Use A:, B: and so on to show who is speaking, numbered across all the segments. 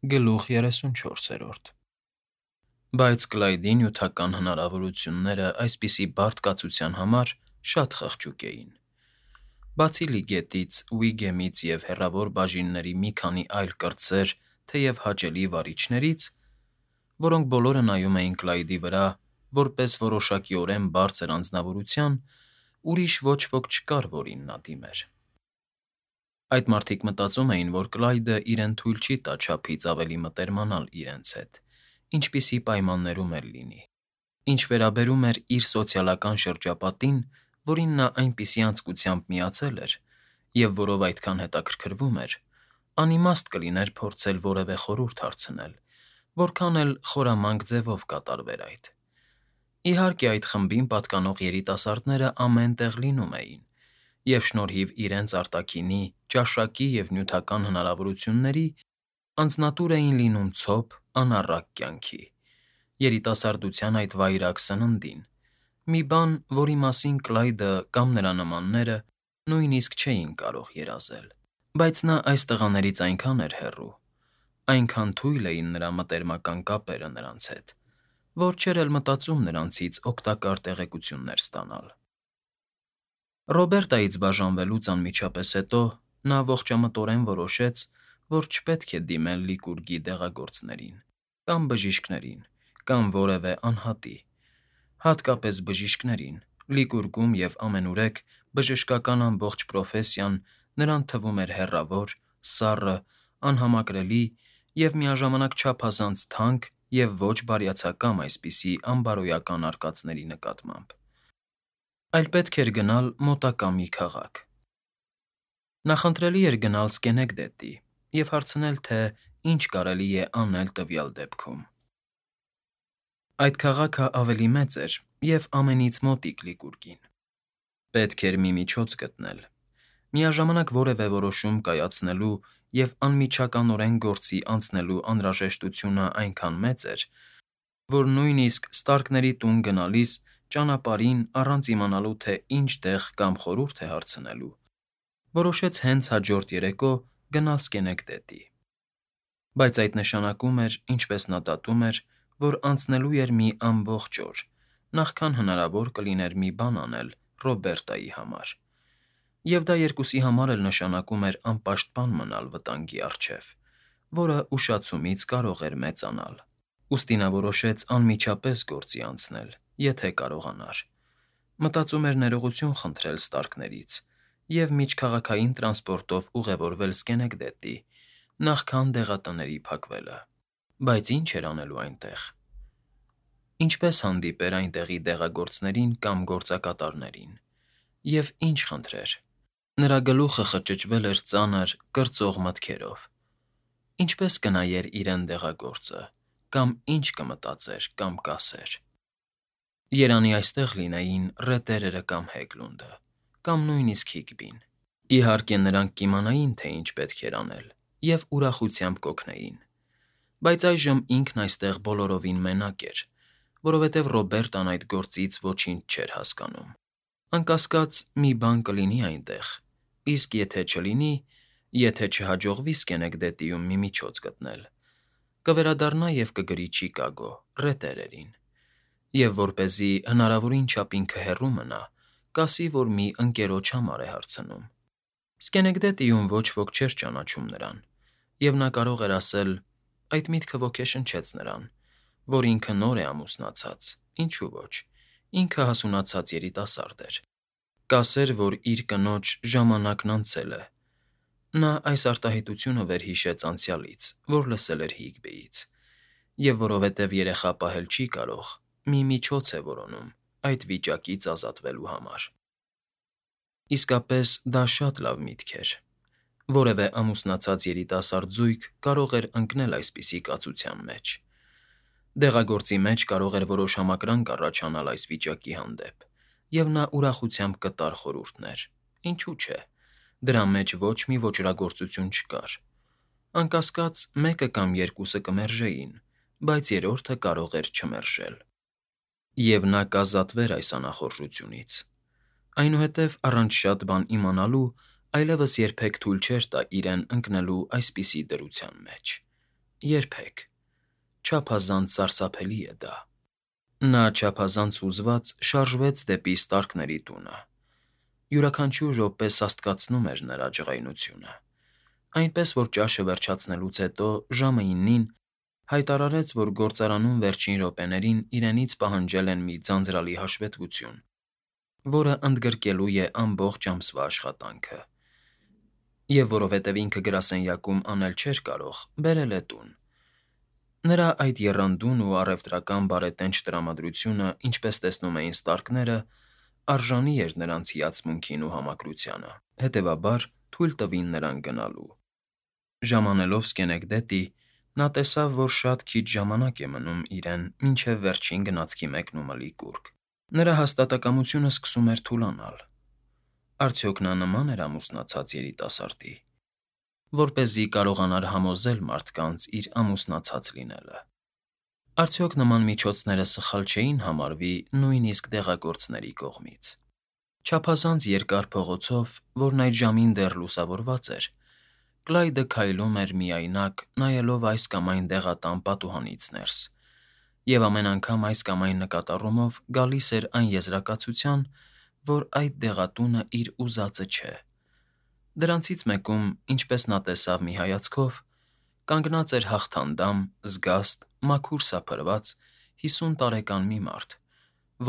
A: Գլուխ 34։ Բայց Կլայդի նյութական հնարավորությունները այսպիսի բարդ կացության համար շատ խղճուկ էին։ Բացի Լիգետից, Ուիգեմից և հեռավոր բաժինների մի քանի այլ կրտսեր, թեև հաճելի վարիչներից, որոնք բոլորը նայում էին Կլայդի վրա որպես որոշակիորեն բարձր անձնավորության, ուրիշ ոչ ոք չկար, որին նա դիմեր։ Այդ մարդիկ մտածում էին, որ Կլայդը իրեն թույլ չի տա չափից ավելի մտերմանալ իրենց հետ, ինչպիսի պայմաններում էլ լինի։ Ինչ վերաբերում էր իր սոցիալական շրջապատին, որին նա այնպիսի անձկությամբ միացել էր և որով այդքան հետաքրքրվում էր, անիմաստ կլիներ փորձել որևէ խորհուրդ հարցնել, որքան էլ խորամանկ ձևով կատարվեր այդ։ Իհարկե, այդ խմբին պատկանող երիտասարդները ամեն տեղ լինում էին, և շնորհիվ իրենց արտաքինի, ճաշակի և նյութական հնարավորությունների անձնատուր էին լինում ցոփ, անառակ կյանքի, երիտասարդության այդ վայրագ սննդին, մի բան, որի մասին Կլայդը կամ նրա նմանները նույնիսկ չէին կարող երազել։ Բայց նա այս տղաներից այնքան էր հեռու, այնքան թույլ էին նրա մտերմական կապերը նրանց հետ, որ չէր էլ մտածում նրանցից օգտակար տեղեկություններ ստանալ։ Ռոբերտայից բաժանվելուց անմիջապես հետո նա ողջամտորեն որոշեց, որ չպետք է դիմել Լիկուրգի դեղագործներին, կամ բժիշկներին, կամ որևէ անհատի, հատկապես բժիշկներին. Լիկուրգում և ամենուրեք բժշկական ամբողջ պրոֆեսիան նրան թվում էր հեռավոր, սառը, անհամակրելի և միաժամանակ չափազանց թանկ և ոչ բարյացակամ այսպիսի անբարոյական արկածների նկատմամբ, այլ պետք էր գնալ մոտակա մի քաղաք։ Նախընտրելի էր գնալ Սքենեկդետի և հարցնել, թե ինչ կարելի է անել տվյալ դեպքում։ Այդ քաղաքը ավելի մեծ էր և ամենից մոտիկ Լիկուրգին։ Պետք էր մի միջոց գտնել։ Միաժամանակ որևէ որոշում կայացնելու և անմիջականորեն գործի անցնելու անհրաժեշտությունն այնքան մեծ էր, որ նույնիսկ Ստարկների տուն գնալիս ճանապարհին, առանց իմանալու, թե ինչ տեղ կամ խորհուրդ է հարցնելու, որոշեց հենց հաջորդ երեկո գնալ Սքենեկդետի։ Բայց այդ նշանակում էր, ինչպես նա դատում էր, որ անցնելու էր մի ամբողջ օր, նախքան հնարավոր կլիներ մի բան անել Ռոբերտայի համար, և դա երկուսի համար էլ նշանակում էր անպաշտպան մնալ վտանգի առջև, որը ուշացումից կարող էր մեծանալ։ Ուստի նա որոշեց անմիջապես գործի անցնել, եթե կարողանար։ Մտածում էր ներողություն խնդրել Ստարկներից և միջքաղաքային տրանսպորտով ուղևորվել Սքենեկդետի, նախքան դեղատների փակվելը։ Բայց ինչ էր անելու այնտեղ։ Ինչպե՞ս հանդիպեր այնտեղի դեղագործներին կամ գործակատարներին, և ինչ խնդրեր։ Նրա գլուխը խճճվել էր ծանր, կրծող մտքերով. ինչպե՞ս կնայեր իրեն դեղագործը, կամ ինչ կմտածեր կամ կասեր։ Երանի այստեղ լինեին Ռետերերը կամ Հեգլունդը, կամ նույնիսկ Հիգբին։ Իհարկե, նրանք կիմանային, թե ինչ պետք էր անել, և ուրախությամբ կօգնեին։ Բայց այժմ ինքն այստեղ բոլորովին մենակ էր, որովհետև Ռոբերտան այդ գործից ոչինչ չէր հասկանում։ Անկասկած, մի բան կլինի այնտեղ, իսկ եթե չլինի, եթե չհաջողվի Սքենեկդետիում մի միջոց գտնել, կվերադառնա և կգրի Չիկագո, Ռետերերին, և որպեսզի հնարավորին չափին քհեռու մնա, կասի, որ մի ընկերոջ համար է հարցնում։ Սքենեկդետիում ոչ ոք չէր ճանաչում նրան, և նա կարող էր ասել. այդ միտքը ոգեշնչեց նրան, որ ինքը նոր է ամուսնացած, ինչու ոչ, ինքը հասունացած երիտասարդ էր։ Կասեր, որ իր կնոջ ժամանակն անցել է։ Նա այս արտահայտությունը վերհիշեց անցյալից, որ լսել էր Հիգբիից, և որովհետև երեխա պահել չի կարող, մի միջոց է որոնում այդ վիճակից ազատվելու համար։ Իսկապես, դա շատ լավ միտք էր։ Որևէ ամուսնացած երիտասարդ զույգ կարող էր ընկնել այսպիսի կացության մեջ։ Դեղագործի մեջ կարող էր որոշ համակրանք առաջանալ այս վիճակի հանդեպ, և նա ուրախությամբ կտար խորհուրդներ։ Ինչու՞ չէ, դրա մեջ ոչ մի ոճրագործություն չկար։ Անկասկած, մեկը կամ երկուսը կմերժեին, բայց երրորդը կարող էր չմերժել։ Եվ նա կազատվեր այս անախորժությունից։ Այնուհետև առանց շատ բան իմանալու այլևս երբեք թույլ չէր տա իրեն ընկնելու այսպիսի դրության մեջ։ Երբեք։ Չափազանց սարսափելի է դա։ Նա չափազանց հուզված շարժվեց դեպի Ստարկների տունը։ Յուրաքանչյուր րոպե սաստկացնում էր նրա ջղայնությունը, այնպես որ ճաշը վերջացնելուց հետո ժամը 9-ին հայտարարեց, որ գործարանում վերջին րոպեներին իրենից պահանջել են մի ձանձրալի հաշվետվություն, որը ընդգրկելու է ամբողջ ամսվա աշխատանքը, և որովհետև ինքը գրասենյակում անել չէր կարող, բերել է տուն։ Նրա այդ եռանդուն ու առևտրական բարետենչ տրամադրությունը, ինչպես տեսնում էին Ստարկները, արժանի էր նրանց հիացմունքին ու համակրությանը, հետևաբար թույլ տվին նրան գնալու։ Ժամանելով Սկենեկդետի, նա տեսավ, որ շատ քիչ ժամանակ է մնում իրեն մինչև վերջին գնացքի մեկնումլի կուռք։ Նրա հաստատակամությունը սկսում էր թուլանալ։ Արդյոք նա նման էր ամուսնացած երիտասարդի, որպեսզի կարողանար համոզել մարդկանց իր ամուսնացած լինելը։ Արդյոք նման միջոցները սխալ չէին համարվի նույնիսկ դեղագործների կողմից։ Չափազանց երկար փողոցով, որն այդ ժամին դեռ լուսավորված էր, Կլայդը քայլում էր միայնակ, նայելով այս կամ այն դեղատան պատուհանից ներս, և ամեն անգամ այս կամ այն նկատառումով գալիս էր այն եզրակացության, որ այդ դեղատունը իր ուզածը չէ։ Դրանցից մեկում, ինչպես նա տեսավ մի հայացքով, կանգնած էր հաղթանդամ, զգաստ, մաքուր սափրված 50 տարեկան մի մարդ,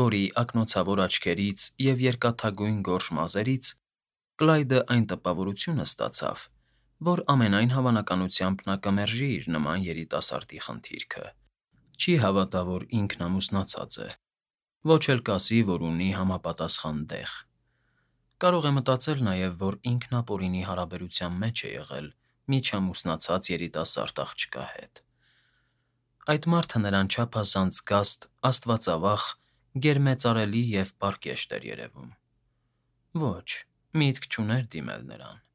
A: որի ակնոցավոր աչքերից և երկաթագույն գորշ մազերից Կլայդը այն տպավորությունը ստացավ, որ ամենայն հավանականությամբ նա կմերժի իր նման երիտասարդի խնդիրքը։ Չի հավատա, որ ինքն ամուսնացած է, ոչ էլ կասի, որ ունի համապատասխան դեղ։ Կարող է մտածել նաև, որ ինքն ապօրինի հարաբերության մեջ է եղել միջամուսնացած երիտասարդ աղջկա հետ։ Այդ մարդը նրան չափազանց զգաստ, աստվածավախ, գերմեծարելի և պարկեշտ էր երևում։ Ոչ, միտք չուներ դիմել նրան։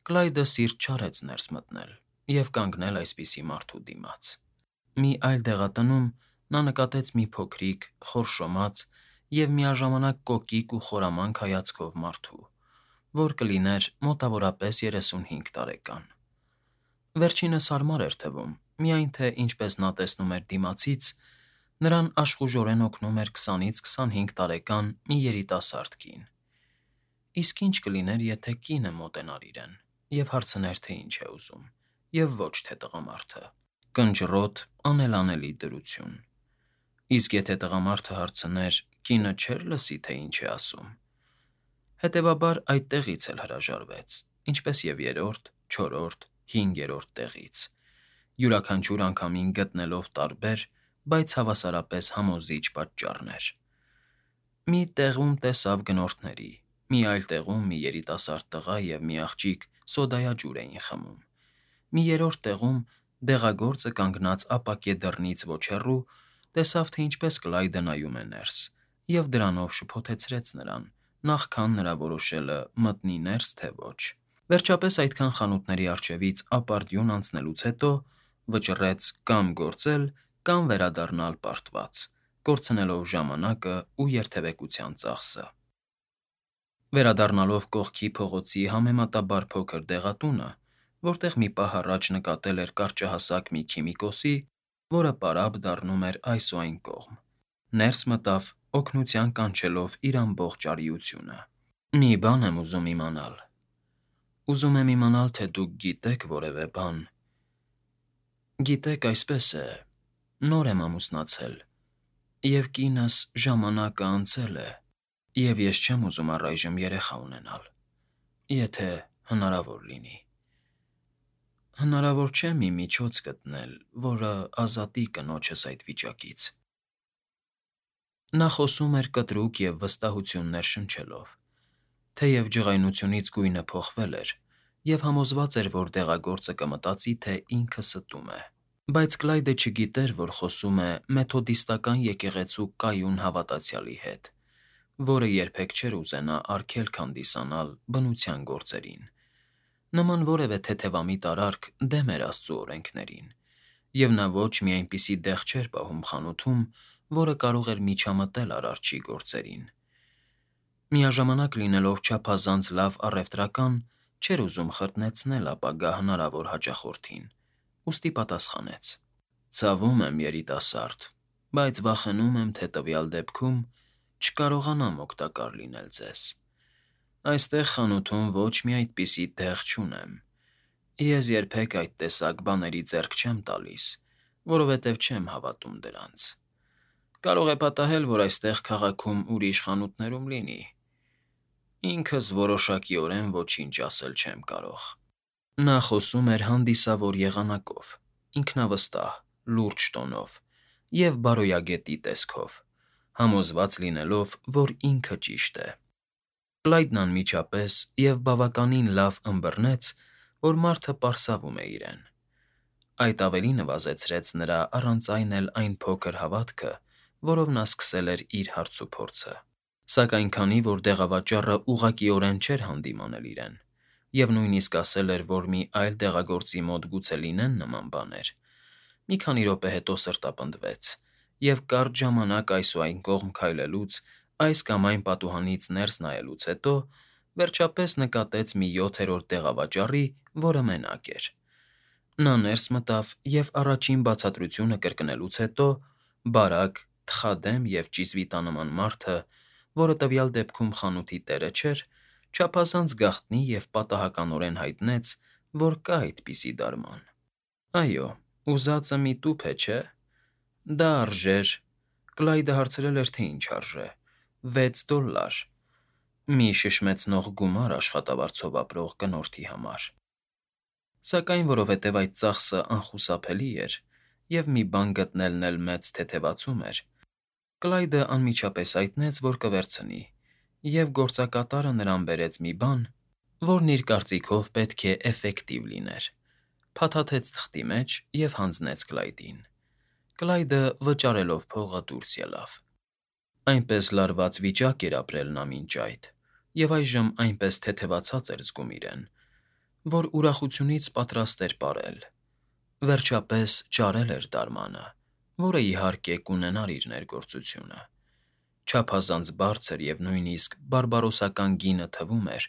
A: Կլայդը սիրտ չարեց ներս մտնել և կանգնել այսպիսի մարդու դիմաց։ Մի այլ դեղատնում նա նկատեց մի փոքրիկ, խորշոմած և միաժամանակ կոկիկ ու խորամանկ հայացքով մարդու, որ կլիներ մոտավորապես 35 տարեկան։ Վերջինս հարմար էր թվում, միայն թե, ինչպես նա տեսնում էր դիմացից, նրան աշխուժորեն օգնում էր 20-ից 25 տարեկան մի երիտասարդ կին։ Իսկ ինչ կլիներ, եթե կինը մոտենար իրեն և հարցներ, թե ինչ է ուզում, և ոչ թե տղամարդը։ Կնճռոտ, անելանելի դրություն։ Իսկ եթե տղամարդը հարցներ, կինը չէր լսի, թե ինչ է ասում։ Հետևաբար այդտեղից էլ հրաժարվեց, ինչպես և երրորդ, չորրորդ, հինգերորդ տեղից, յուրաքանչյուր անգամին գտնելով տարբեր, բայց հավասարապես համոզիչ պատճառներ։ Մի տեղում տեսավ գնորդների, մի այլ տեղում մի երիտասարդ տղա և մի աղջիկ սոդայաջուր էին խմում, մի երրորդ տեղում դեղագործը կանգնած ապակե դռնից ոչ հեռու տեսավ, թե ինչպես Կլայդը նայում է ներս, և դրանով շփոթեցրեց նրան, նախքան նրա որոշելը մտնի ներս, թե ոչ։ Վերջապես այդքան խանութների առջևից ապարդյուն անցնելուց հետո վճռեց կամ գործել, կամ վերադառնալ պարտված, կորցնելով ժամանակը ու երթևեկության ծախսը։ Վերադառնալով կողքի փողոցի համեմատաբար փոքր դեղատունը, որտեղ մի պահ առաջ նկատել էր կարճահասակ մի քիմիկոսի, որը պարապ դառնում էր այս ու այն կողմ, ներս մտավ, օգնության կանչելով իր ամբողջ արիությունը։ «Մի բան եմ ուզում իմանալ։ Ուզում եմ իմանալ, թե դուք գիտեք որևէ բան։ Գիտեք, այսպես է, նոր եմ ամուսնացել, և կինս ժամանակը անցել է, և ես չեմ ուզում առայժմ երեխա ունենալ, եթե հնարավոր լինի։ Հնարավոր չէ մի միջոց գտնել, որը ազատի կնոջս այդ վիճակից»։ Նա խոսում էր կտրուկ և վստահություններ շնչելով, թեև ջղայնությունից գույնը փոխվել էր, և համոզված էր, որ դեղագործը կմտածի, թե ինքը ստում է։ Բայց Կլայդը չգիտեր, որ խոսում է մեթոդիստական եկեղեցու կայուն հավատացյալի հետ, որը երբեք չէր ուզենա արգելք հանդիսանալ բնության գործերին։ Նման որևէ թեթևամիտ արարք դեմ էր Աստծու օրենքներին, և նա ոչ մի այնպիսի դեղ չէր պահում խանութում, որը կարող էր միջամտել Արարչի գործերին։ Միաժամանակ լինելով չափազանց լավ առևտրական, չէր ուզում խրտնեցնել ապագա հնարավոր հաճախորդին ուստի պատասխանեց. «Ցավում եմ, երիտասարդ, բայց վախենում եմ, թե տվյալ դեպքում չկարողանամ օգտակար լինել ձեզ։ Այստեղ խանութում ոչ մի այդպիսի տեղ չունեմ։ Ես երբեք այդ տեսակ բաների ձեռք չեմ տալիս, որովհետև չեմ հավատում դրանց։ Կարող է պատահել, որ այստեղ քաղաքում ուրիշ խանութներում լինի։ Ինքս որոշակիորեն ոչինչ ասել չեմ կարող»։ Նա խոսում էր հանդիսավոր եղանակով, ինքնավստահ, լուրջ տոնով և բարոյագետի տեսքով, համոզված լինելով, որ ինքը ճիշտ է։ Կլայդն անմիջապես և բավականին լավ ըմբռնեց, որ մարդը պարսավում է իրեն։ Այդ ավելի նվազեցրեց նրա առանց այն էլ այն փոքր հավատքը, որով նա սկսել էր իր հարցուփորձը։ Սակայն քանի որ դեղավաճառը ուղղակիորեն չէր հանդիմանել իրեն, և նույնիսկ ասել էր, որ մի այլ դեղագործի մոտ գուցե լինեն նման բաներ, մի քանի րոպե հետո սրտապնդվեց և կարճ ժամանակ այս ու այն կողմ քայլելուց, այս կամ այն պատուհանից ներս նայելուց հետո վերջապես նկատեց մի յոթերորդ դեղավաճառի, որը մենակ էր։ Նա ներս մտավ և առաջին բացատրությունը կրկնելուց հետո բարակ, թխադեմ և ճիզվիտանման մարդը, որը տվյալ դեպքում խանութի տերը չէր, չափազանց գաղտնի և պատահականորեն հայտնեց, որ կա այդպիսի դարման։ «Այո, ուզածը մի տուփ է, չէ՞։ Դա արժեր…» Կլայդը հարցրել էր, թե ինչ արժե։ $6, մի շշմեցնող գումար աշխատավարձով ապրող կնորդի համար։ Սակայն որովհետև այդ ծախսը անխուսափելի էր, և մի բան գտնելն էլ մեծ թեթևացում էր, Կլայդը անմիջապես հայտնեց, որ կվերցնի, և գործակատարը նրան բերեց մի բան, որն իր կարծիքով պետք է էֆեկտիվ լիներ, փաթաթեց թղթի մեջ և հանձնեց Կլայդին։ Կլայդը վճարելով փողը դուրս ելավ։ Այնպես լարված վիճակ էր ապրել նա մինչ այդ, և այժմ այնպես թեթևացած էր զգում իրեն, որ ուրախությունից պատրաստ էր պարել։ Վերջապես ճարել էր դարմանը, որը, իհարկե, կունենար իր ներգործությունը։ Չափազանց բարձր և նույնիսկ բարբարոսական գինը թվում էր,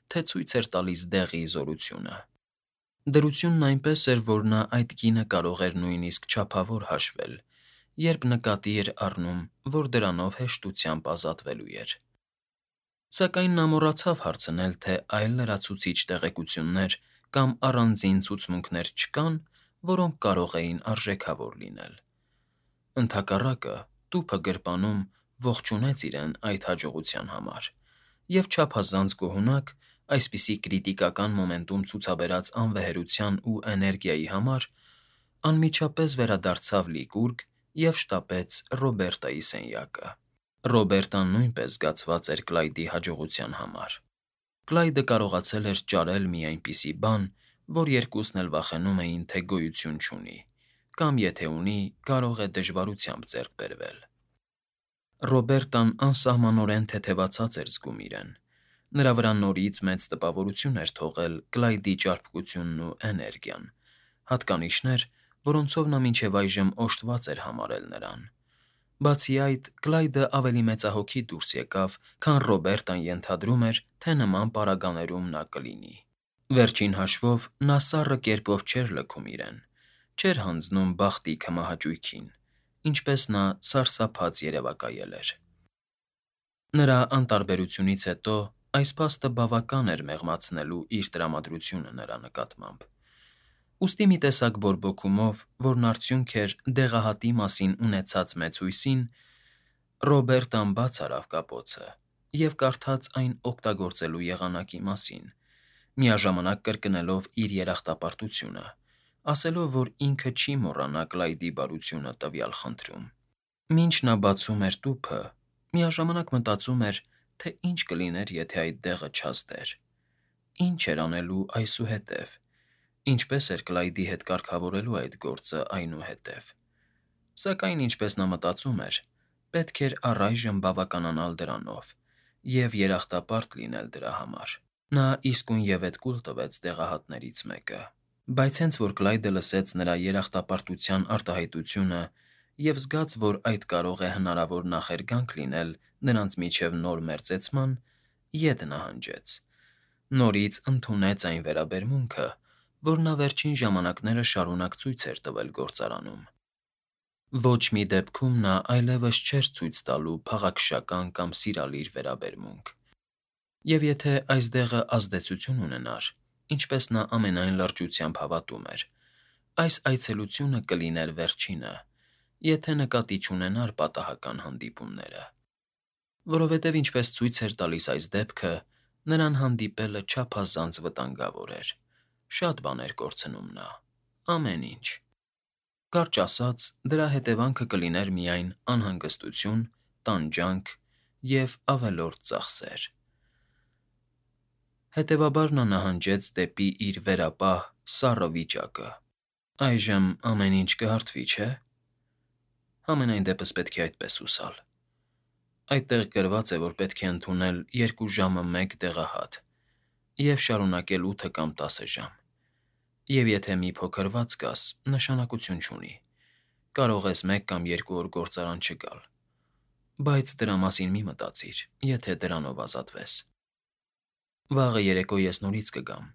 A: թե ցույց էր տալիս դեղի զորությունը։ Դրությունն այնպես էր, որ նա այդ գինը կարող էր նույնիսկ չափավոր հաշվել, երբ նկատի էր առնում, որ դրանով հեշտությամբ ազատվելու էր։ Սակայն նա մոռացավ հարցնել, թե այլ լրացուցիչ տեղեկություններ կամ առանձին ցուցմունքներ չկան, որոնք կարող էին արժեքավոր լինել։ Ընդհակառակը, տուփը գրպանում ողջունեց իրեն այդ հաջողության համար և չափազանց գոհունակ, այսպիսի կրիտիկական մոմենտում ցուցաբերած անվեհերության ու էներգիայի համար, անմիջապես վերադարձավ լիկուրգ և շտապեց Ռոբերտայի սենյակը։ Ռոբերտան նույնպես զգացված էր Կլայդի հաջողության համար։ Կլայդը կարողացել էր ճարել մի այնպիսի բան, որ երկուսն էլ վախենում էին, թե գոյություն չունի, կամ եթե ունի, կարող է դժվարությամբ ձեռք բերվել։ Ռոբերտան անսահմանորեն թեթևացած էր զգում իրեն։ Նրա վրա նորից մեծ տպավորություն էր թողել Կլայդի ճարպկությունն ու էներգիան, հատկանիշներ, որոնցով նա մինչև այժմ օժտված էր համարել նրան։ Բացի այդ, Կլայդը ավելի մեծահոգի դուրս եկավ, քան Ռոբերտան ենթադրում էր, թե նման պարագաներում նա կլինի։ Վերջին հաշվով նա սառը կերպով չէր լքում իրեն, չէր հանձնում բախտի քմահաճույքին, ինչպես նա սարսափած երևակայել էր։ Նրա անտարբերությունից հետո այս փաստը բավական էր մեղմացնելու իր տրամադրությունը նրա նկատմամբ։ Ուստի մի տեսակ բորբոքումով, որն արդյունք էր դեղահատի մասին ունեցած մեծ հույսին, Ռոբերտան բաց արավ կապոցը և կարդաց այն օգտագործելու եղանակի մասին, միաժամանակ կրկնելով իր երախտապարտությունը, ասելով, որ ինքը չի մոռանա Կլայդի բարությունը տվյալ խնդրում։ Մինչ նա բացում էր տուփը, միաժամանակ մտածում էր, թե ինչ կլիներ, եթե այդ դեղը չազդեր։ Ինչ էր անելու այսուհետև, ինչպես էր Կլայդի հետ կարգավորելու այդ գործը այնուհետև։ Սակայն, ինչպես նա մտածում էր, պետք էր առայժմ բավականանալ դրանով և երախտապարտ լինել դրա համար։ Նա իսկույնևեթ կուլ տվեց դեղահատներից մեկը։ Բայց հենց որ Կլայդը լսեց նրա երախտապարտության արտահայտությունը և զգաց, որ այդ կարող է հնարավոր նախերգանք լինել նրանց միջև նոր մերձեցման, ետ նահանջեց։ Նորից ընդունեց այն վերաբերմունքը, որ նա վերջին ժամանակները շարունակ ցույց էր տվել գործարանում։ Ոչ մի դեպքում նա այլևս չէր ցույց տալու փաղաքշական կամ սիրալիր վերաբերմունք։ Եվ եթե այս դեղը ազդեցություն ունենար, ինչպես նա ամենայն լրջությամբ հավատում էր, այս այցելությունը կլիներ վերջինը, եթե նկատի չունենար պատահական հանդիպումները։ Որովհետև ինչպես ցույց էր տալիս այս դեպքը, նրան հանդիպելը չափազանց վտանգավոր էր։ Շատ բաներ կորցնում նա, ամեն ինչ։ Կարճ ասած, դրա հետևանքը կլիներ միայն անհանգստություն, տանջանք և ավելորդ ծախսեր։ Հետևաբար նա նահանջեց դեպի իր վերապահ սառը վիճակը։ Այժմ ամեն ինչ կհարթվի, չէ՞։ Համենայն դեպս պետք է այդպես հուսալ։ Այդտեղ գրված է, որ պետք է ընդունել 2 ժամը մեկ դեղահատ և շարունակել 8 կամ 10 ժամ։ Եվ եթե մի փոքր վատ զգաս, նշանակություն չունի, կարող ես 1 կամ 2 օր գործարան չգալ, բայց դրա մասին մի մտածիր, եթե դրանով ազատվես։ Վաղը երեկո ես նորից կգամ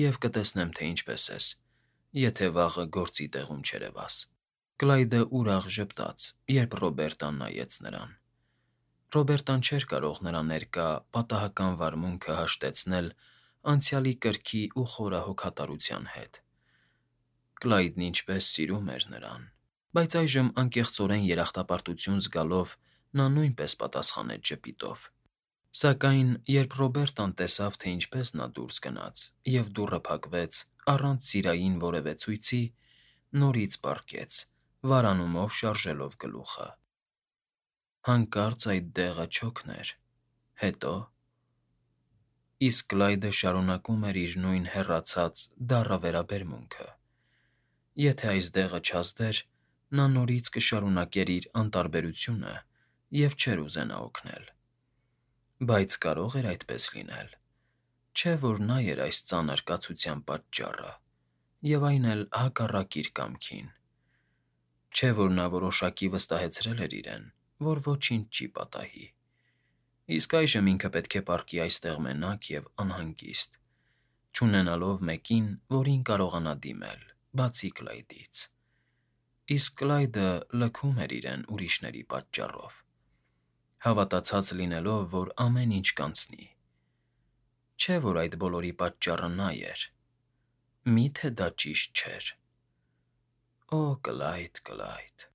A: և կտեսնեմ, թե ինչպես ես, եթե վաղը գործի տեղում չերևաս։ Կլայդը ուրախ ժպտաց, երբ Ռոբերտան նայեց նրան։ Ռոբերտան չէր կարող նրա ներկա պատահական վարմունքը հաշտեցնել անցյալի կրքի ու խորը հոգատարության հետ։ Կլայդն ինչպես սիրում էր նրան։ Բայց այժմ անկեղծորեն երախտապարտություն զգալով նա նույնպես պատասխանեց ժպիտով։ Սակայն երբ Ռոբերտան տեսավ, թե ինչպես նա դուրս գնաց և դուռը փակվեց առանց սիրային որևէ ցույցի, նորից պառկեց, վարանումով շարժելով գլուխը։ Հանկարծ այդ դեղը չօգներ։ Հետո… Իսկ Կլայդը շարունակում էր իր նույն հեռացած, դառը վերաբերմունքը։ Եթե այս դեղը չազդեր, նա նորից կշարունակեր իր անտարբերությունը և չէր ուզենա օգնել։ Բայց կարո՞ղ էր այդպես լինել։ Չէ՞ որ նա էր այս ծանր կացության պատճառը, և այն էլ հակառակ իր կամքին։ Չէ՞ որ նա որոշակի վստահեցրել էր իրեն, որ ոչինչ չի պատահի։ Իսկ այժմ ինքը պետք է պառկի այստեղ մենակ և անհանգիստ, չունենալով մեկին, որին կարողանա դիմել, բացի Կլայդից։ Իսկ Կլայդը լքում էր իրեն ուրիշների պատճառով, հավատացած լինելով, որ ամեն ինչ կանցնի։ Չէ՞ որ այդ բոլորի պատճառը նա էր։ Մի՞թե դա ճիշտ չէր։ Օ, Կլայդ, Կլայդ։